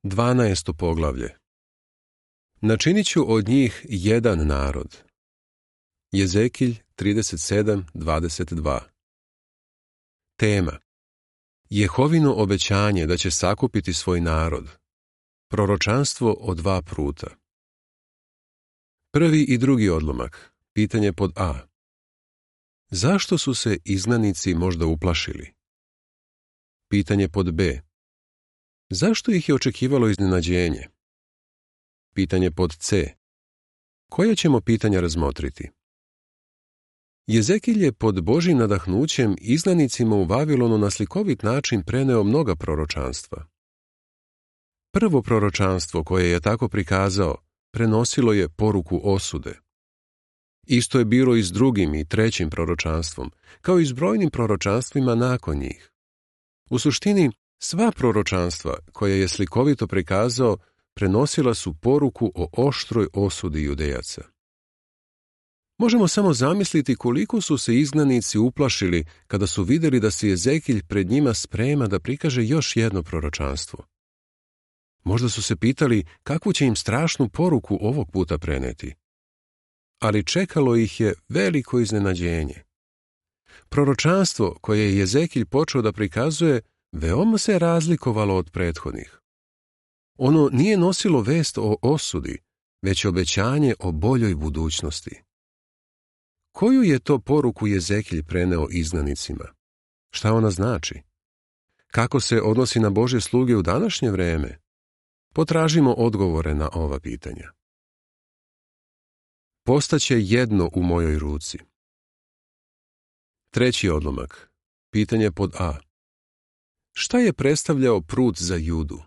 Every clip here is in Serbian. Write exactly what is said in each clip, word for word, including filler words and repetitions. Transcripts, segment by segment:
Dvanaesto poglavlje. Načinit ću od njih jedan narod. Jezekilj trideset sedam dvadeset dva. Tema: Jehovino obećanje da će sakupiti svoj narod. Proročanstvo o dva pruta. Prvi i drugi odlomak. Pitanje pod A. Zašto su se izgnanici možda uplašili? Pitanje pod B. Zašto ih je očekivalo iznenađenje? Pitanje pod C. Koja ćemo pitanja razmotriti? Jezekilj je pod Božjim nadahnućem izgnanicima u Vavilonu na slikovit način preneo mnoga proročanstva. Prvo proročanstvo koje je tako prikazao prenosilo je poruku osude. Isto je bilo i s drugim i trećim proročanstvom, kao i s brojnim proročanstvima nakon njih. U suštini, sva proročanstva koje je slikovito prikazao prenosila su poruku o oštroj osudi Judejaca. Možemo samo zamisliti koliko su se izgnanici uplašili kada su vidjeli da se Jezekilj pred njima sprema da prikaže još jedno proročanstvo. Možda su se pitali kakvu će im strašnu poruku ovog puta preneti. Ali čekalo ih je veliko iznenađenje. Proročanstvo koje je Jezekilj počeo da prikazuje veoma se razlikovalo od prethodnih. Ono nije nosilo vest o osudi, već obećanje o boljoj budućnosti. Koju je to poruku Jezekilj preneo izgnanicima? Šta ona znači? Kako se odnosi na Božje sluge u današnje vreme? Potražimo odgovore na ova pitanja. Postaće jedno u mojoj ruci. Treći odlomak. Pitanje pod A. Šta je predstavljao prut za Judu?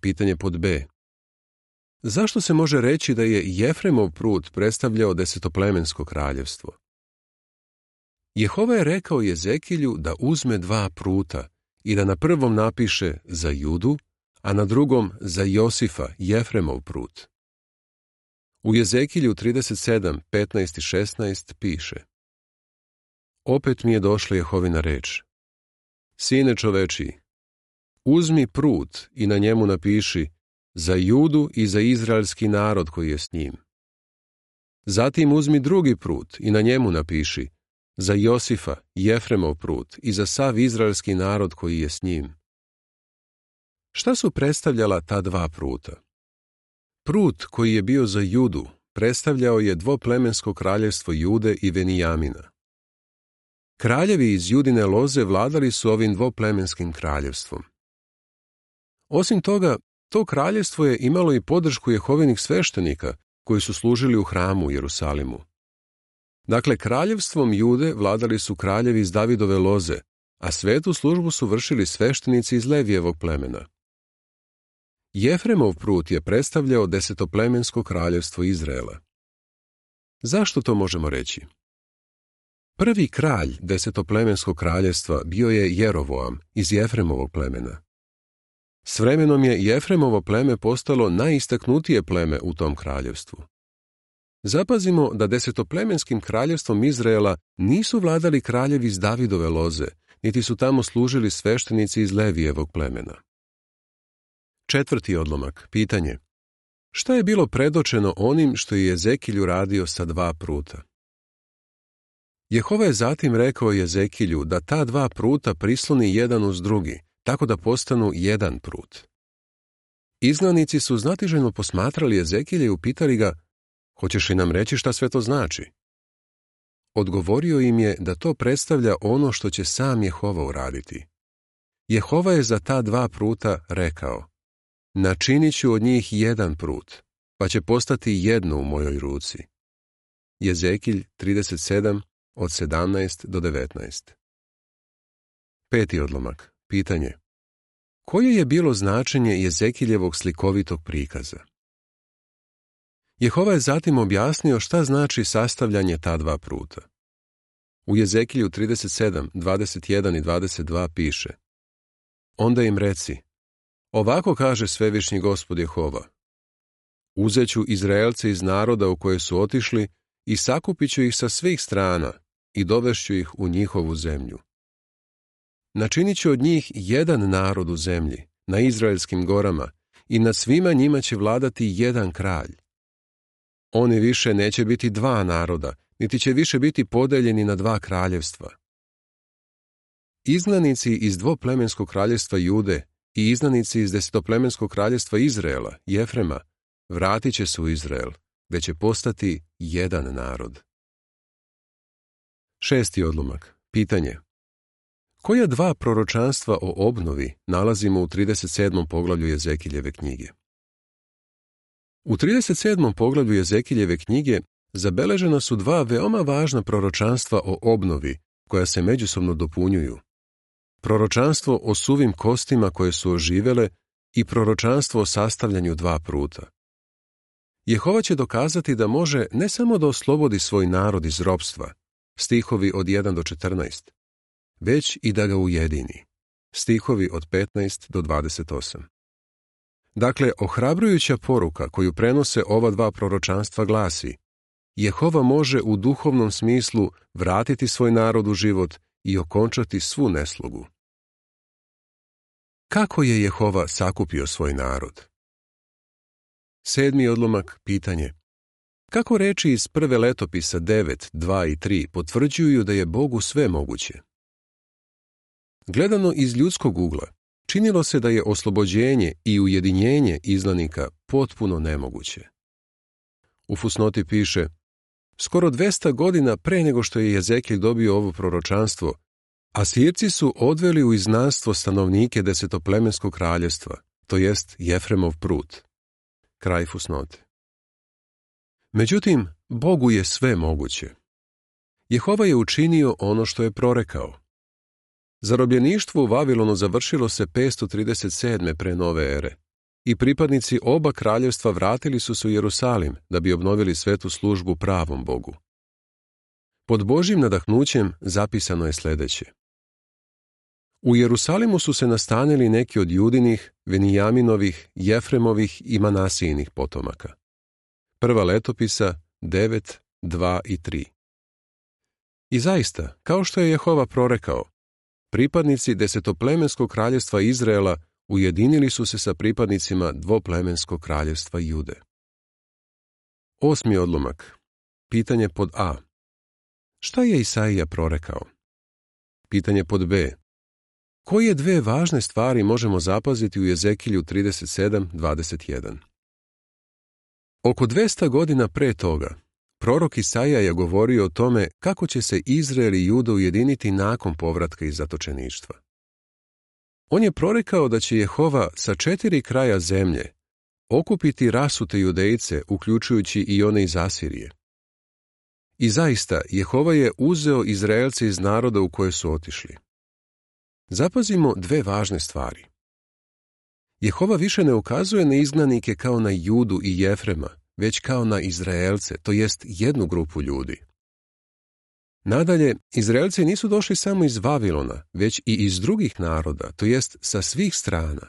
Pitanje pod B. Zašto se može reći da je Jefremov prut predstavljao desetoplemensko kraljevstvo? Jehova je rekao Jezekilju da uzme dva pruta i da na prvom napiše za Judu, a na drugom za Josifa, Jefremov prut. U Jezekilju trideset sedam petnaest i šesnaest piše: Opet mi je došla Jehovina reč. Sine čovečiji, uzmi prut i na njemu napiši za Judu i za izraelski narod koji je s njim. Zatim uzmi drugi prut i na njemu napiši za Josifa, Jefremov prut i za sav izraelski narod koji je s njim. Šta su predstavljala ta dva pruta? Prut koji je bio za Judu predstavljao je dvoplemensko kraljevstvo Jude i Venijamina. Kraljevi iz Judine loze vladali su ovim dvoplemenskim kraljevstvom. Osim toga, to kraljevstvo je imalo i podršku Jehovinih sveštenika koji su služili u hramu u Jerusalimu. Dakle, kraljevstvom Jude vladali su kraljevi iz Davidove loze, a svetu službu su vršili sveštenici iz Levijevog plemena. Jefremov prut je predstavljao desetoplemensko kraljevstvo Izraela. Zašto to možemo reći? Prvi kralj desetoplemenskog kraljevstva bio je Jerovoam iz Jefremovog plemena. S vremenom je Jefremovo pleme postalo najistaknutije pleme u tom kraljevstvu. Zapazimo da desetoplemenskim kraljevstvom Izraela nisu vladali kraljevi iz Davidove loze, niti su tamo služili sveštenici iz Levijevog plemena. Četvrti odlomak. Pitanje: šta je bilo predočeno onim što je Jezekilj uradio sa dva pruta? Jehova je zatim rekao Jezekilju da ta dva pruta prisloni jedan uz drugi, tako da postanu jedan prut. Izgnanici su znatiželjno posmatrali Jezekilja i upitali ga: hoćeš li nam reći šta sve to znači? Odgovorio im je da to predstavlja ono što će sam Jehova uraditi. Jehova je za ta dva pruta rekao: načinit ću od njih jedan prut, pa će postati jedno u mojoj ruci. Jezekilj trideset sedam od sedamnaest do devetnaest. Peti odlomak. Pitanje: koje je bilo značenje Jezekiljevog slikovitog prikaza? Jehova je zatim objasnio šta znači sastavljanje ta dva pruta. U Jezekilju trideset sedam dvadeset jedan i dvadeset dva piše: onda im reci, ovako kaže Svevišnji Gospod Jehova: uzeću Izraelce iz naroda u koje su otišli i sakupit ću ih sa svih strana i dovešću ih u njihovu zemlju. Načinit ću od njih jedan narod u zemlji, na izraelskim gorama i nad svima njima će vladati jedan kralj. Oni više neće biti dva naroda, niti će više biti podeljeni na dva kraljevstva. Izgnanici iz dvoplemenskog kraljevstva Jude i izgnanici iz desetoplemenskog kraljevstva Izraela, Jefrema, vratit će se u Izrael, gdje će postati jedan narod. Šesti odlomak. Pitanje. Koja dva proročanstva o obnovi nalazimo u trideset sedmom poglavlju Jezekiljeve knjige? U trideset sedmom poglavlju Jezekiljeve knjige zabeležena su dva veoma važna proročanstva o obnovi koja se međusobno dopunjuju. Proročanstvo o suvim kostima koje su oživele i proročanstvo o sastavljanju dva pruta. Jehova će dokazati da može ne samo da oslobodi svoj narod iz ropstva, stihovi od jedan do četrnaest, već i da ga ujedini, stihovi od petnaest do dvadeset osam. Dakle, ohrabrujuća poruka koju prenose ova dva proročanstva glasi: Jehova može u duhovnom smislu vratiti svoj narod u život i okončati svu neslogu. Kako je Jehova sakupio svoj narod? Sedmi odlomak. Pitanje. Kako reči iz prve letopisa devet, dva i tri potvrđuju da je Bogu sve moguće? Gledano iz ljudskog ugla, činilo se da je oslobođenje i ujedinjenje izgnanika potpuno nemoguće. U fusnoti piše: skoro dvesta godina pre nego što je Jezekilj dobio ovo proročanstvo, Asirci su odveli u izgnanstvo stanovnike desetoplemenskog kraljevstva, to jest Jefremov prut. Kraj fusnote. Međutim, Bogu je sve moguće. Jehova je učinio ono što je prorekao. Zarobljeništvo u Vavilonu završilo se petsto trideset sedme pre nove ere i pripadnici oba kraljevstva vratili su se u Jerusalim da bi obnovili svetu službu pravom Bogu. Pod Božjim nadahnućem zapisano je sljedeće. U Jerusalimu su se nastanili neki od Judinih, Venijaminovih, Jefremovih i Manasijinih potomaka. Prva letopisa devet, dva i tri. I zaista, kao što je Jehova prorekao, pripadnici desetoplemenskog kraljevstva Izraela ujedinili su se sa pripadnicima dvoplemenskog kraljevstva Jude. Osmi odlomak. Pitanje pod A. Šta je Isaija prorekao? Pitanje pod B. Koje dve važne stvari možemo zapaziti u Jezekilju trideset sedam, dvadeset jedan? Oko dvesta godina pre toga, prorok Isaija je govorio o tome kako će se Izrael i Juda ujediniti nakon povratka iz zatočeništva. On je prorekao da će Jehova sa četiri kraja zemlje okupiti rasute Judejce, uključujući i one iz Asirije. I zaista, Jehova je uzeo Izraelce iz naroda u koje su otišli. Zapazimo dve važne stvari. Jehova više ne ukazuje na izgnanike kao na Judu i Jefrema, već kao na Izraelce, to jest jednu grupu ljudi. Nadalje, Izraelci nisu došli samo iz Vavilona, već i iz drugih naroda, to jest sa svih strana.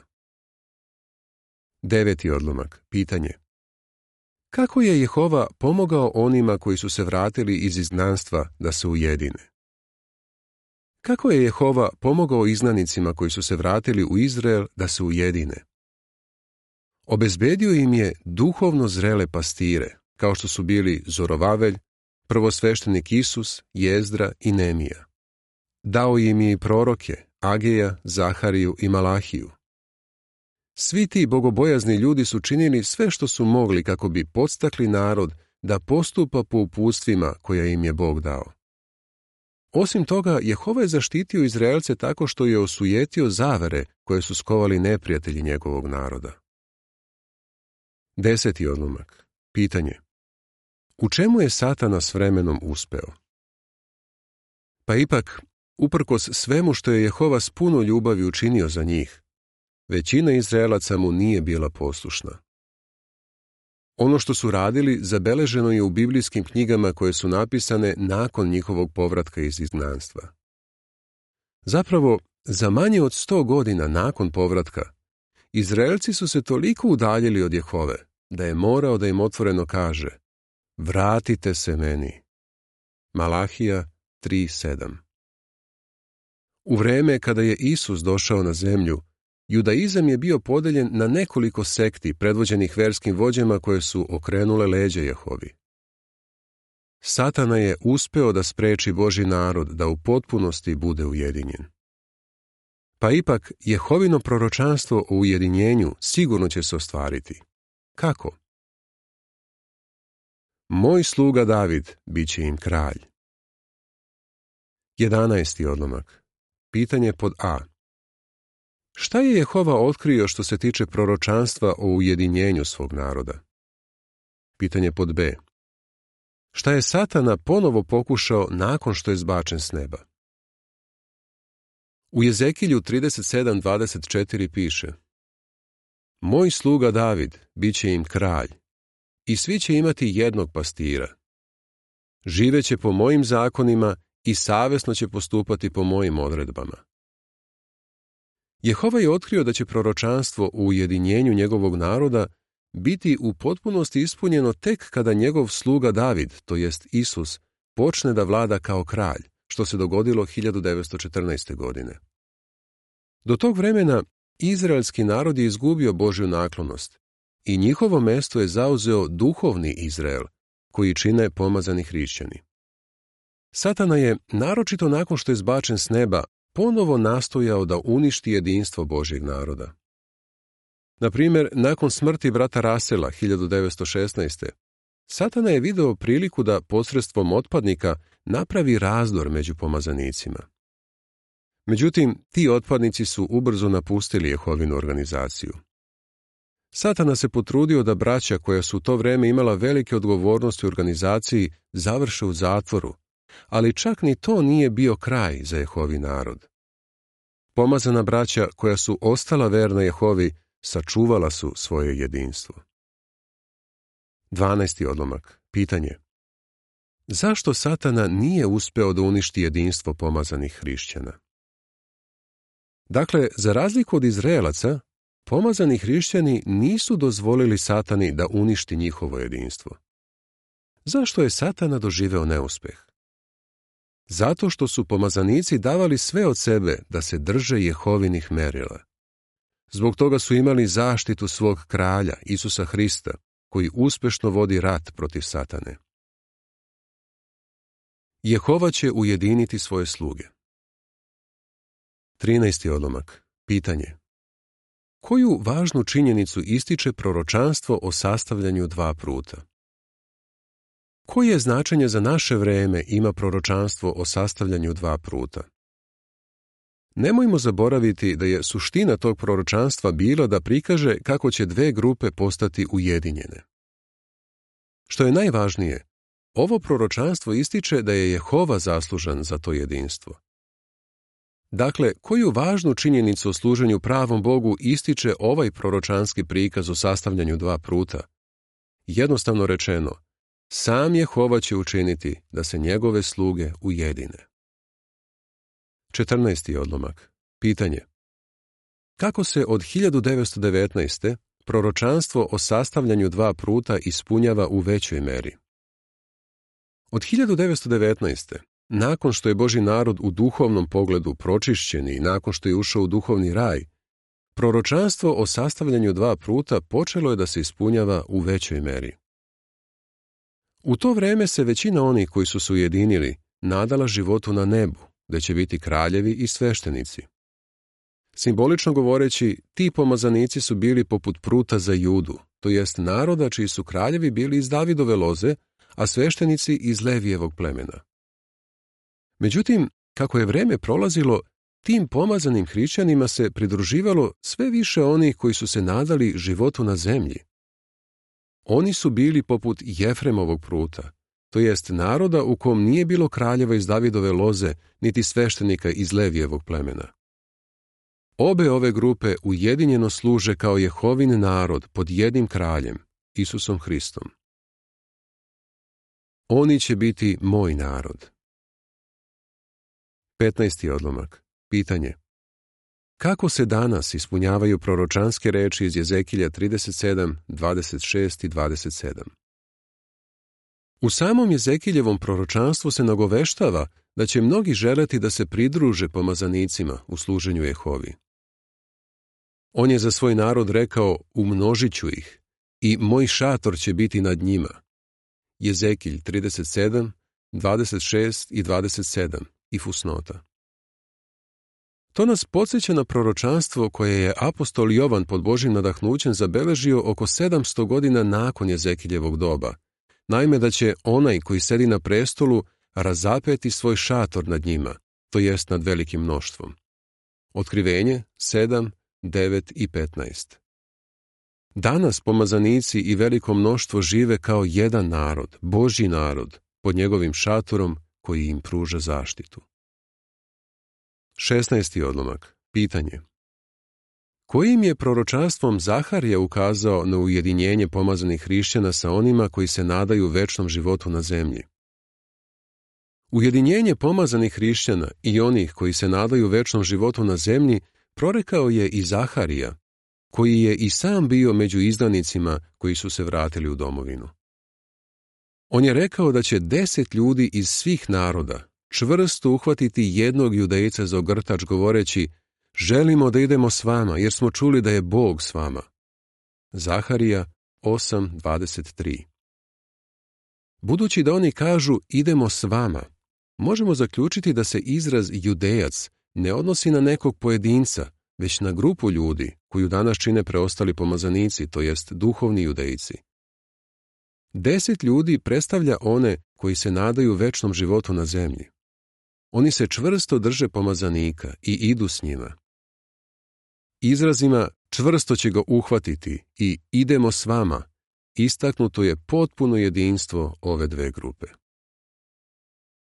Deveti odlomak. Pitanje. Kako je Jehova pomogao onima koji su se vratili iz izgnanstva da se ujedine? Kako je Jehova pomogao izgnanicima koji su se vratili u Izrael da se ujedine? Obezbedio im je duhovno zrele pastire, kao što su bili Zorovavelj, prvosveštenik Isus, Jezdra i Nemija. Dao im je i proroke, Ageja, Zahariju i Malahiju. Svi ti bogobojazni ljudi su činili sve što su mogli kako bi podstakli narod da postupa po uputstvima koja im je Bog dao. Osim toga, Jehova je zaštitio Izraelce tako što je osujetio zavere koje su skovali neprijatelji njegovog naroda. Deseti odlomak. Pitanje. U čemu je Satana s vremenom uspeo? Pa ipak, uprkos svemu što je Jehova s puno ljubavi učinio za njih, većina Izraelaca mu nije bila poslušna. Ono što su radili zabeleženo je u biblijskim knjigama koje su napisane nakon njihovog povratka iz izgnanstva. Zapravo, za manje od sto godina nakon povratka, Izraelci su se toliko udaljili od Jehove da je morao da im otvoreno kaže: vratite se meni. Malahija tri sedam. U vreme kada je Isus došao na zemlju, Judaizam je bio podeljen na nekoliko sekti predvođenih verskim vođama koje su okrenule leđa Jehovi. Satana je uspeo da spreči Božji narod da u potpunosti bude ujedinjen. Pa ipak, Jehovino proročanstvo o ujedinjenju sigurno će se ostvariti. Kako? Moj sluga David bit će im kralj. jedanaesti odlomak. Pitanje pod A. Šta je Jehova otkrio što se tiče proročanstva o ujedinjenju svog naroda? Pitanje pod B. Šta je Satana ponovo pokušao nakon što je zbačen s neba? U Jezekilju trideset sedam dvadeset četiri piše: Moj sluga David bit će im kralj, i svi će imati jednog pastira. Živeće po mojim zakonima i savjesno će postupati po mojim odredbama. Jehova je otkrio da će proročanstvo o ujedinjenju njegovog naroda biti u potpunosti ispunjeno tek kada njegov sluga David, to jest Isus, počne da vlada kao kralj, što se dogodilo hiljadu devetsto četrnaeste. godine. Do tog vremena izraelski narod je izgubio Božju naklonost i njihovo mesto je zauzeo duhovni Izrael, koji čine pomazani hrišćani. Satana je, naročito nakon što je zbačen s neba, ponovo nastojao da uništi jedinstvo Božjeg naroda. Na primjer, nakon smrti brata Rasela hiljadu devetsto šesnaeste. Satana je video priliku da posredstvom otpadnika napravi razdor među pomazanicima. Međutim, ti otpadnici su ubrzo napustili Jehovinu organizaciju. Satana se potrudio da braća koja su u to vreme imala velike odgovornosti u organizaciji završe u zatvoru, ali čak ni to nije bio kraj za Jehovi narod. Pomazana braća koja su ostala verna Jehovi sačuvala su svoje jedinstvo. dvanaesti odlomak. Pitanje. Zašto Satana nije uspeo da uništi jedinstvo pomazanih hrišćana? Dakle, za razliku od Izraelaca, pomazani hrišćani nisu dozvolili Satani da uništi njihovo jedinstvo. Zašto je Satana doživeo neuspeh? Zato što su pomazanici davali sve od sebe da se drže Jehovinih merila. Zbog toga su imali zaštitu svog kralja, Isusa Hrista, koji uspešno vodi rat protiv Satane. Jehova će ujediniti svoje sluge. trinaesti odlomak. Pitanje. Koju važnu činjenicu ističe proročanstvo o sastavljanju dva pruta? Koje značenje za naše vreme ima proročanstvo o sastavljanju dva pruta? Nemojmo zaboraviti da je suština tog proročanstva bila da prikaže kako će dve grupe postati ujedinjene. Što je najvažnije, ovo proročanstvo ističe da je Jehova zaslužan za to jedinstvo. Dakle, koju važnu činjenicu o služenju pravom Bogu ističe ovaj proročanski prikaz o sastavljanju dva pruta? Jednostavno rečeno, sam Jehova će učiniti da se njegove sluge ujedine. četrnaesti odlomak. Pitanje. Kako se od hiljadu devetsto devetnaeste. proročanstvo o sastavljanju dva pruta ispunjava u većoj meri? Od hiljadu devetsto devetnaeste. nakon što je Božji narod u duhovnom pogledu pročišćen i nakon što je ušao u duhovni raj, proročanstvo o sastavljanju dva pruta počelo je da se ispunjava u većoj meri. U to vreme se većina onih koji su se ujedinili nadala životu na nebu, gde će biti kraljevi i sveštenici. Simbolično govoreći, ti pomazanici su bili poput pruta za Judu, to jest naroda čiji su kraljevi bili iz Davidove loze, a sveštenici iz Levijevog plemena. Međutim, kako je vreme prolazilo, tim pomazanim hrišćanima se pridruživalo sve više onih koji su se nadali životu na zemlji. Oni su bili poput Jefremovog pruta, to jest naroda u kom nije bilo kraljeva iz Davidove loze, niti sveštenika iz Levijevog plemena. Obe ove grupe ujedinjeno služe kao Jehovin narod pod jednim kraljem, Isusom Hristom. Oni će biti moj narod. petnaesti odlomak. Pitanje. Kako se danas ispunjavaju proročanske reči iz Jezekilja trideset sedam, dvadeset šest i dvadeset sedam? U samom Jezekiljevom proročanstvu se nagoveštava da će mnogi želeti da se pridruže pomazanicima u služenju Jehovi. On je za svoj narod rekao, umnožit ću ih i moj šator će biti nad njima. Jezekilj trideset sedam, dvadeset šest i dvadeset sedam i fusnota. To nas podsjeća na proročanstvo koje je apostol Jovan pod Božjim nadahnućem zabeležio oko sedamsto godina nakon Jezekiljevog doba. Naime, da će onaj koji sedi na prestolu razapeti svoj šator nad njima, to jest nad velikim mnoštvom. Otkrivenje sedam, devet i petnaest. Danas pomazanici i veliko mnoštvo žive kao jedan narod, Božji narod, pod njegovim šatorom koji im pruža zaštitu. šesnaesti odlomak. Pitanje. Kojim je proročanstvom Zaharija ukazao na ujedinjenje pomazanih hrišćana sa onima koji se nadaju večnom životu na zemlji? Ujedinjenje pomazanih hrišćana i onih koji se nadaju večnom životu na zemlji prorekao je i Zaharija, koji je i sam bio među izdanicima koji su se vratili u domovinu. On je rekao da će deset ljudi iz svih naroda čvrsto uhvatiti jednog judejca za ogrtač govoreći: želimo da idemo s vama jer smo čuli da je Bog s vama. Zaharija osam, dvadeset tri. Budući da oni kažu idemo s vama, možemo zaključiti da se izraz judejac ne odnosi na nekog pojedinca, već na grupu ljudi koju danas čine preostali pomazanici, to jest duhovni judejci. Deset ljudi predstavlja one koji se nadaju večnom životu na zemlji. Oni se čvrsto drže pomazanika i idu s njima. Izrazima čvrsto će ga uhvatiti i idemo s vama istaknuto je potpuno jedinstvo ove dve grupe.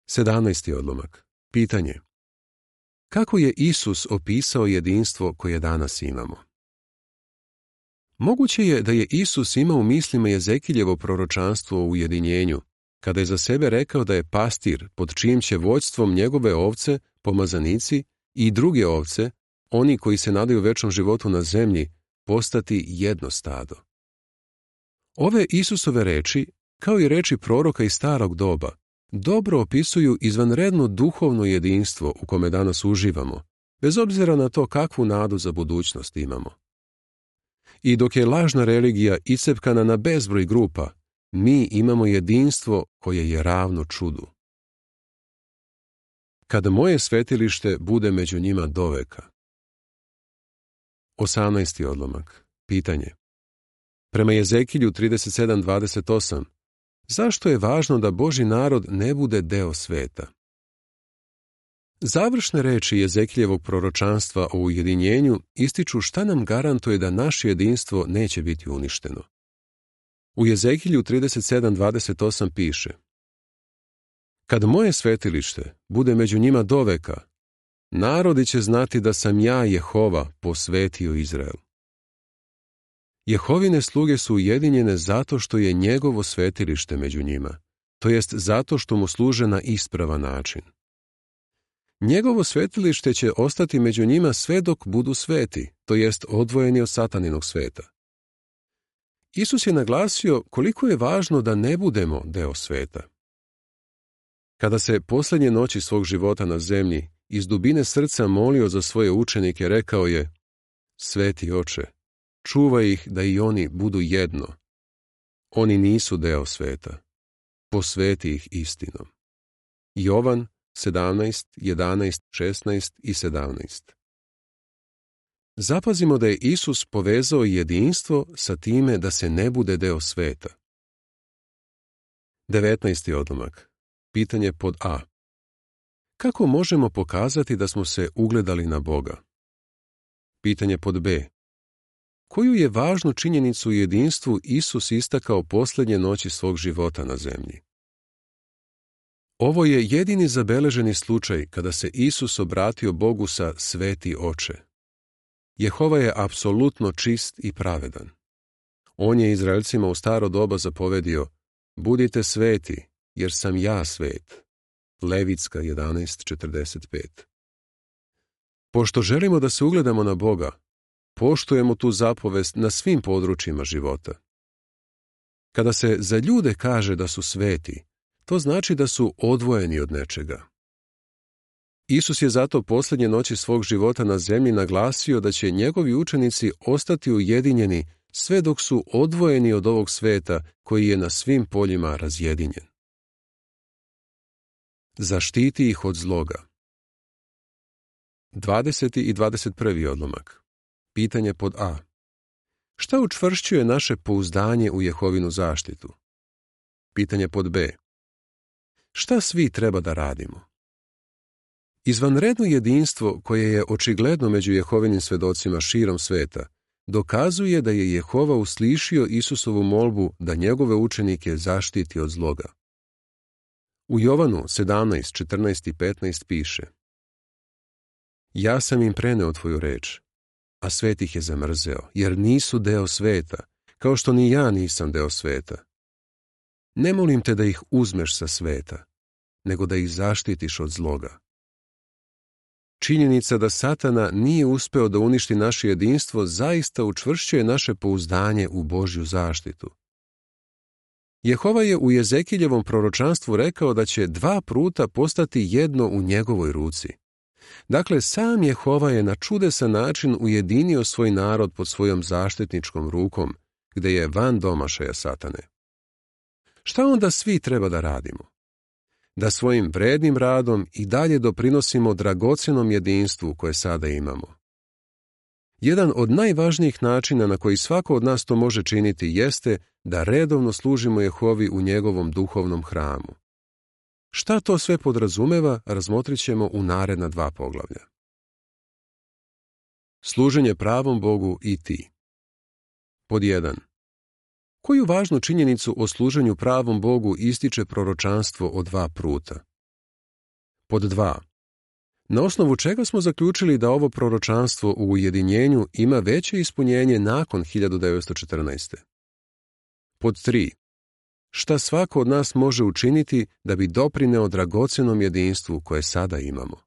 sedamnaesti odlomak. Pitanje. Kako je Isus opisao jedinstvo koje danas imamo? Moguće je da je Isus imao u mislima Jezekiljevo proročanstvo o ujedinjenju, kada je za sebe rekao da je pastir pod čijim će vođstvom njegove ovce, pomazanici i druge ovce, oni koji se nadaju večnom životu na zemlji, postati jedno stado. Ove Isusove reči, kao i reči proroka iz starog doba, dobro opisuju izvanredno duhovno jedinstvo u kome danas uživamo, bez obzira na to kakvu nadu za budućnost imamo. I dok je lažna religija iscepkana na bezbroj grupa, mi imamo jedinstvo koje je ravno čudu. Kada moje svetilište bude među njima doveka. osamnaesti odlomak. Pitanje. Prema Jezekilju trideset sedam dvadeset osam, zašto je važno da Božji narod ne bude deo sveta? Završne reči Jezekiljevog proročanstva o ujedinjenju ističu šta nam garantuje da naše jedinstvo neće biti uništeno. U Jezekilju trideset sedam dvadeset osam piše: kad moje svetilište bude među njima doveka, narodi će znati da sam ja, Jehova, posvetio Izrael. Jehovine sluge su ujedinjene zato što je njegovo svetilište među njima, to jest zato što mu služe na ispravan način. Njegovo svetilište će ostati među njima sve dok budu sveti, to jest odvojeni od sataninog sveta. Isus je naglasio koliko je važno da ne budemo deo sveta. Kada se posljednje noći svog života na zemlji iz dubine srca molio za svoje učenike, rekao je: Sveti Oče, čuvaj ih da i oni budu jedno. Oni nisu deo sveta. Posveti ih istinom. Jovan sedamnaest, jedanaest, šesnaest i sedamnaest. Zapazimo da je Isus povezao jedinstvo sa time da se ne bude deo sveta. devetnaesti odlomak. Pitanje pod A. Kako možemo pokazati da smo se ugledali na Boga? Pitanje pod B. Koju je važnu činjenicu u jedinstvu Isus istakao posljednje noći svog života na zemlji? Ovo je jedini zabeleženi slučaj kada se Isus obratio Bogu sa Sveti Oče. Jehova je apsolutno čist i pravedan. On je Izraelcima u staro doba zapovedio: budite sveti, jer sam ja svet. Levitska jedanaest četrdeset pet. Pošto želimo da se ugledamo na Boga, poštujemo tu zapovest na svim područjima života. Kada se za ljude kaže da su sveti, to znači da su odvojeni od nečega. Isus je zato posljednje noći svog života na zemlji naglasio da će njegovi učenici ostati ujedinjeni sve dok su odvojeni od ovog sveta koji je na svim poljima razjedinjen. Zaštiti ih od zloga. dvadeseti i dvadeset prvi odlomak. Pitanje pod A. Šta učvršćuje naše pouzdanje u Jehovinu zaštitu? Pitanje pod B. Šta svi treba da radimo? Izvanredno jedinstvo koje je očigledno među Jehovinim svedocima širom sveta dokazuje da je Jehova uslišio Isusovu molbu da njegove učenike zaštiti od zloga. U Jovanu sedamnaest, četrnaest i petnaest piše: Ja sam im preneo tvoju reč, a svet ih je zamrzeo, jer nisu deo sveta, kao što ni ja nisam deo sveta. Ne molim te da ih uzmeš sa sveta, nego da ih zaštitiš od zloga. Činjenica da Satana nije uspeo da uništi naše jedinstvo zaista učvršćuje naše pouzdanje u Božju zaštitu. Jehova je u Jezekiljevom proročanstvu rekao da će dva pruta postati jedno u njegovoj ruci. Dakle, sam Jehova je na čudesan način ujedinio svoj narod pod svojom zaštitničkom rukom, gde je van domašaja Satane. Šta onda svi treba da radimo? Da svojim vrednim radom i dalje doprinosimo dragocjenom jedinstvu koje sada imamo. Jedan od najvažnijih načina na koji svako od nas to može činiti jeste da redovno služimo Jehovi u njegovom duhovnom hramu. Šta to sve podrazumeva, razmotrit ćemo u naredna dva poglavlja. Služenje pravom Bogu i ti. Pod jedan. Koju važnu činjenicu o služenju pravom Bogu ističe proročanstvo o dva pruta? Pod dva. Na osnovu čega smo zaključili da ovo proročanstvo u ujedinjenju ima veće ispunjenje nakon hiljadu devetsto četrnaeste. Pod tri. Šta svako od nas može učiniti da bi doprineo dragocjenom jedinstvu koje sada imamo?